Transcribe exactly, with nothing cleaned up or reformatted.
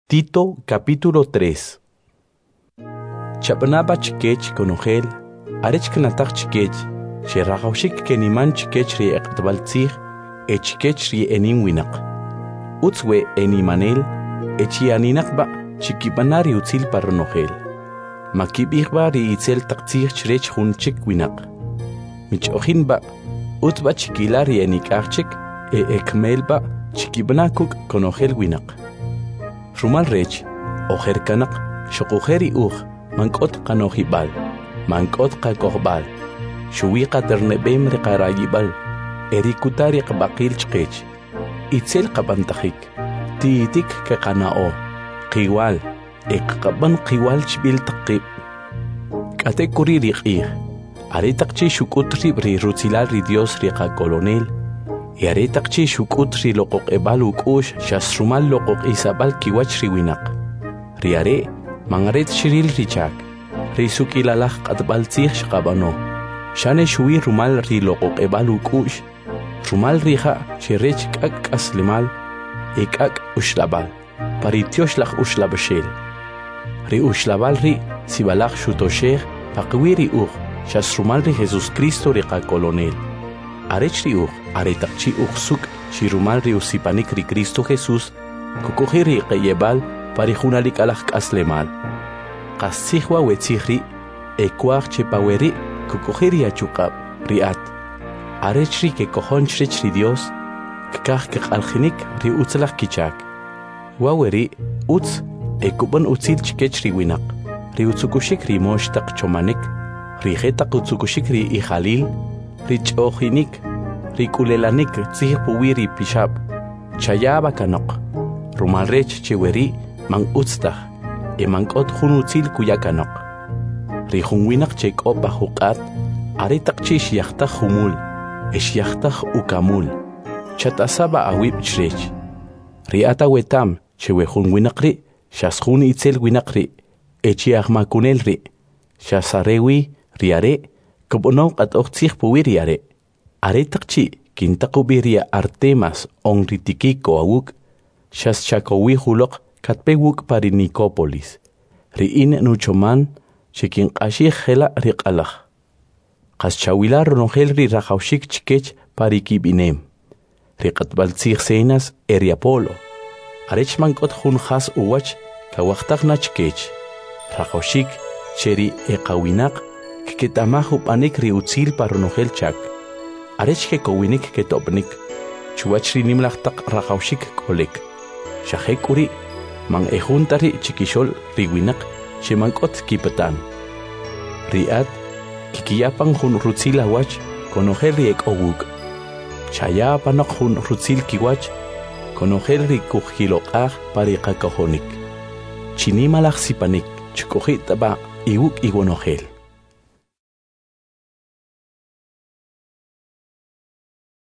Tito capítulo tres. Chab'ana b'a chkech konojel arech knataj chkech che rajawxik keniman chkech ri e q'atb'al tzij e chkech ri enim winaq. Utz we enimanel e chi aninaq b'a chikib'ana ri utzil pa ronojel. Makib'ij b'a ri itzel taq tzij chrech jun chik winaq. Mich'ojin b'a, utz b'a chikila ri enik'aj chik e ekmel b'a chikib'ana kuk' konojel winaq. Rumal rech, ojer kanoq xuquje' ri uj man k'ot qano'jib'al, man k'ot qakojb'al, xuwi qaterneb'em ri qarayib'al e ri kuta ri qab'aqil chqech. Itzel qab'antajik, ti'tik keqana'o, qiwal e kqab'an qiwal chb'il taq qib'. K'atek'uri' ri q'ij, aretaq chi' xuk'ut rib' ri rutzilal ri Dios ri qakolonel, e aretaq chi' xuk'ut ri loq'oq'eb'al uk'u'x xas rumal loq'oq'isab'al kiwach ri winaq. Ri are' man are ta xril ri chak, ri suk'ilalaj q'atb'al tzij xqab'ano, xane xuwi rumal ri loq'oq'eb'al uk'u'x, rumal ri ja' che rech k'ak' k'aslemal e k'ak' uxlab'al, pa ri Tyoxlaj Uxlab'axel. Ri uxlab'al ri' sib'alaj xutoxej paqawi' ri uj xas rumal ri Jesucristo ri qakolonel. Arech ri uj, aretaq chi' uj suk' chi rumal ri usipanik ri Cristo Jesús, kuk'oji' ri qeyeb'al pa ri junalik alaj k'aslemal. Qastzij wa' we tzij ri' e kwaj che pa we ri' kuk'oji' ri achuq'ab' ri at. Arech ri kekojon chrech ri Dios, kkaj keq'aljinik ri utzalaj kichak. Wa we ri' utz e kub'an utzil chkech ri winaq, ri utzukuxik ri mox taq chomanik, ri jetaq utzukuxik ri ijalil, ri ch'ojinik, ri k'ulelanik tzij puwi' ri pixab', chaya b'a kanoq, rumal rech che we ri' man utz taj, e man k'ot jun utzil kuya kanoq. Ri jun winaq che k'o pa juq'at, aretaq chi' xyajtaj jumul, e xyajtaj ukamul, chatasa b'a awib' chrech. Ri at awetam che we jun winaq ri' xas jun itzel winaq ri' e chi ajmakunel ri', xas are wi ri are' kub'anow q'atoj tzij puwi' ri are'. Aretaq chi' kintaq ub'i ri Artemas on ri Tiquico awuk', xas chakowij uloq katpe wuk' pa ri Nicópolis. Ri in nuchoman che kinq'axij jela' ri q'alaj. Qas chawila ronojel ri rajawxik chkech pa ri kib'inem, ri q'atb'al tzij Zenas e ri Apolo, arech man k'ot jun jas uwach kawajtaj na chkech. Rajawxik che ri eqawinaq kketa'maj ub'anik ri utzil pa ronojel chak, arech kekowinik ketob'nik chuwach ri nimalaj taq rajawxik k'olik. Xa jek'uri' man e jun ta ri' chikixo'l ri winaq che man k'ot kipatan. Ri at kkiya pan jun rutzil awach konojel ri ek'o wuk'. Chaya panoq jun rutzil kiwach konojel ri kujkiloq'aj pa ri qakojonik. Chinimalaj sipanik chk'oji' b'a iwuk' iwonojel.